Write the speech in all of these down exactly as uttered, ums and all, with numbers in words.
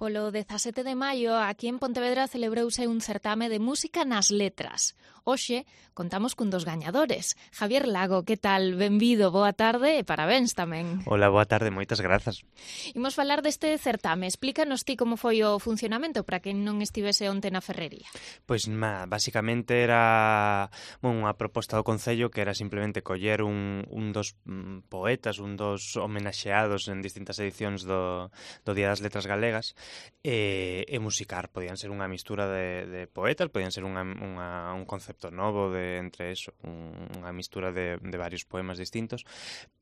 Polo dezasete de maio, aquí en Pontevedra celebrouse un certame de música nas letras. Hoxe contamos cun dos gañadores. Javier Lago, que tal? Benvido, boa tarde e parabéns tamén. Hola, boa tarde, moitas grazas. Imos falar deste certame. Explícanos ti como foi o funcionamento para quen non estivese onte na ferrería. Pois, ma, basicamente era bueno, unha proposta do Concello que era simplemente coller un, un dos mm, poetas, un dos homenaxeados en distintas edicións do, do Día das Letras Galegas e, e musicar. Podían ser unha mistura de, de poetas, podían ser unha, unha, un concepto novo de entre eso, un, unha mistura de, de varios poemas distintos,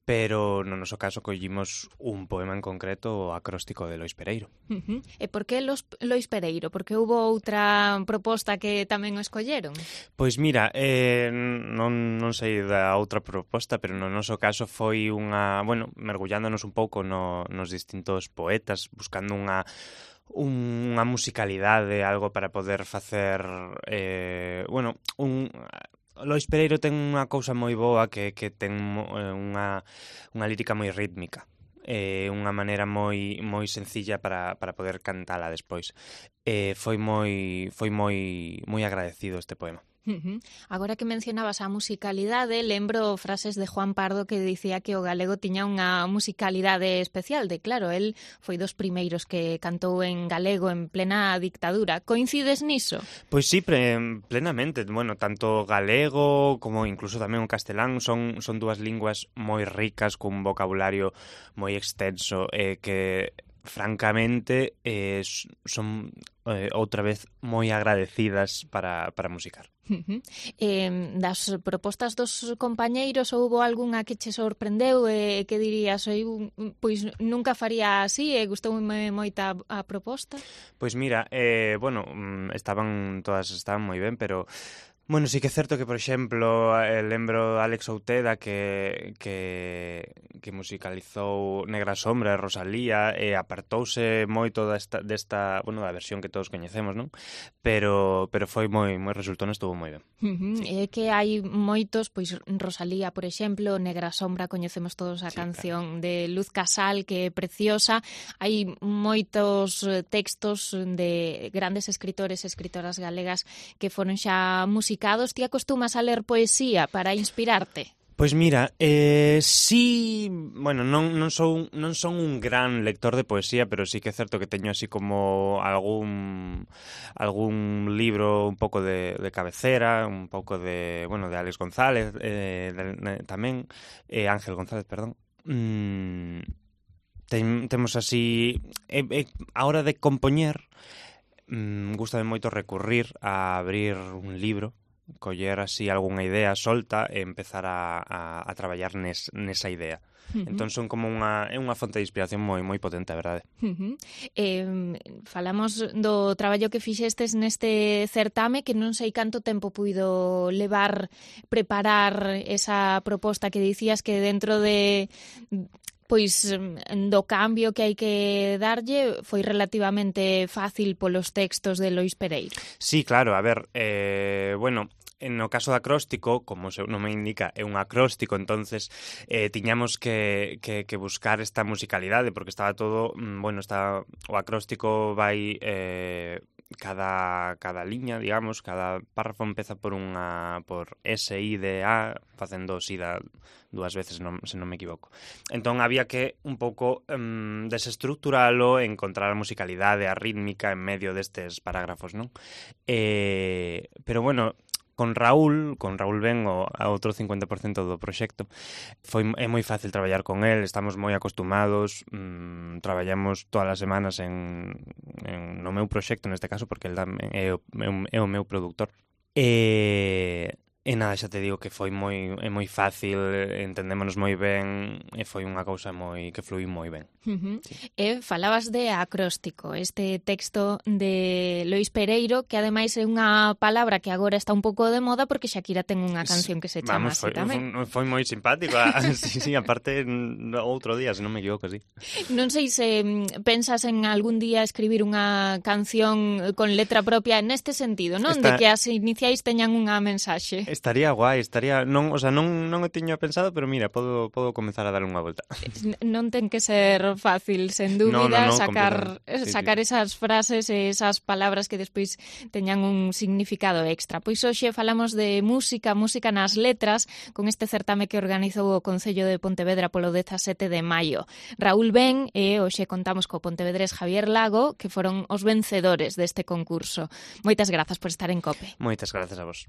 pero no noso caso collimos un poema en concreto, o acróstico de Lois Pereiro. Uh-huh. E por que Los, Lois Pereiro? Porque houbo outra proposta que tamén o escolleron? Pois mira, eh, non, non sei da outra proposta, pero no noso caso foi unha, bueno, mergullándonos un pouco no, nos distintos poetas, buscando unha unha musicalidade, algo para poder facer, eh, bueno, un... Lois Pereiro ten unha cousa moi boa que, que ten unha, unha lírica moi rítmica. É eh, unha maneira moi moi sencilla para, para poder cantala despois. Eh, foi moi foi moi moi agradecido este poema. Uh-huh. Agora que mencionabas a musicalidade, lembro frases de Juan Pardo que dicía que o galego tiña unha musicalidade especial, de claro, el foi dos primeiros que cantou en galego en plena dictadura. Coincides niso? Pois sí, pre, plenamente. Bueno, tanto galego como incluso tamén o castelán son, son dúas linguas moi ricas, cun vocabulario moi extenso, eh, que francamente eh, son eh, outra vez moi agradecidas para, para musicar. Uh-huh. Eh, das propostas dos compañeiros, houbo algunha que che sorprendeu e eh, que dirías, eu, pois nunca faría así e gustoume moita a proposta? Pois mira, eh, bueno, estaban todas estaban moi ben, pero bueno, sí que é certo que, por exemplo, eh, lembro Alex Outeda que, que, que musicalizou Negra Sombra e Rosalía e apartouse moito desta, desta, bueno, da versión que todos coñecemos, non? Pero, pero foi moi, moi resultón, estuvo moi ben. Uh-huh. Sí. É que hai moitos, pois Rosalía, por exemplo, Negra Sombra, coñecemos todos a sí, canción claro. de Luz Casal, que é preciosa. Hai moitos textos de grandes escritores e escritoras galegas que foron xa musicados. Ti acostumas a ler poesía para inspirarte? Pois mira, eh, sí, bueno, non, non, son, non son un gran lector de poesía, pero sí que é certo que teño así como algún algún libro un pouco de, de cabecera, un pouco de, bueno, de Alex González, eh, de, de, tamén, eh, Ángel González, perdón. Mm, ten, temos así, eh, eh, a hora de compoñer, mm, gustame moito recurrir a abrir un libro, coller así algunha idea solta e empezar a, a, a traballar nes, nesa idea. Uh-huh. Entón son como unha, é unha fonte de inspiración moi moi potente, a verdade. Uh-huh. Eh, falamos do traballo que fixestes neste certame, que non sei canto tempo puido levar preparar esa proposta que dicías que dentro de... pois do cambio que hai que darlle foi relativamente fácil polos textos de Lois Pereiro. Sí, claro, a ver, eh, bueno, no caso do acróstico, como o seu nome indica, é un acróstico, entonces eh, tiñamos que, que, que buscar esta musicalidade, porque estaba todo, bueno, está, o acróstico vai... Eh, cada cada liña, digamos, cada párrafo empeza por unha por S, I, D, A, facendo sida dúas veces, non, se non me equivoco. Entón había que un pouco um, desestructuralo, encontrar a musicalidade, a rítmica en medio destes parágrafos, non? Eh, pero bueno, con Raúl, con Raúl Ben, o a outro cincuenta por cento do proxecto, foi é moi fácil traballar con el, estamos moi acostumados, mmm, traballamos todas as semanas en, en no meu proxecto, neste caso, porque el é o, é o meu produtor. E... E nada, xa te digo que foi moi é moi fácil, entendémonos moi ben e foi unha cousa moi que fluí moi ben. Uh-huh. Sí. E falabas de acróstico, este texto de Lois Pereiro, que ademais é unha palabra que agora está un pouco de moda porque Shakira ten unha canción que se chama Vamos, así foi, tamén. Foi, foi moi simpático, sí, sí, aparte outro día, se non me equivoco, sí. Non sei se pensas en algún día escribir unha canción con letra propia neste sentido, non? Está... De que as iniciais teñan unha mensaxe. Estaría guai, estaría, non, o sea, non non o tiño pensado, pero mira, podo podo comezar a dar unha volta. Non ten que ser fácil, sen dúbida, no, no, no, sacar sí, sacar sí. esas frases e esas palabras que despois teñan un significado extra. Pois hoxe falamos de música, música nas letras, con este certame que organizou o Concello de Pontevedra polo dezasete de maio. Raúl Ben e hoxe contamos co pontevedrés Javier Lago, que foron os vencedores deste concurso. Moitas grazas por estar en COPE. Moitas grazas a vos.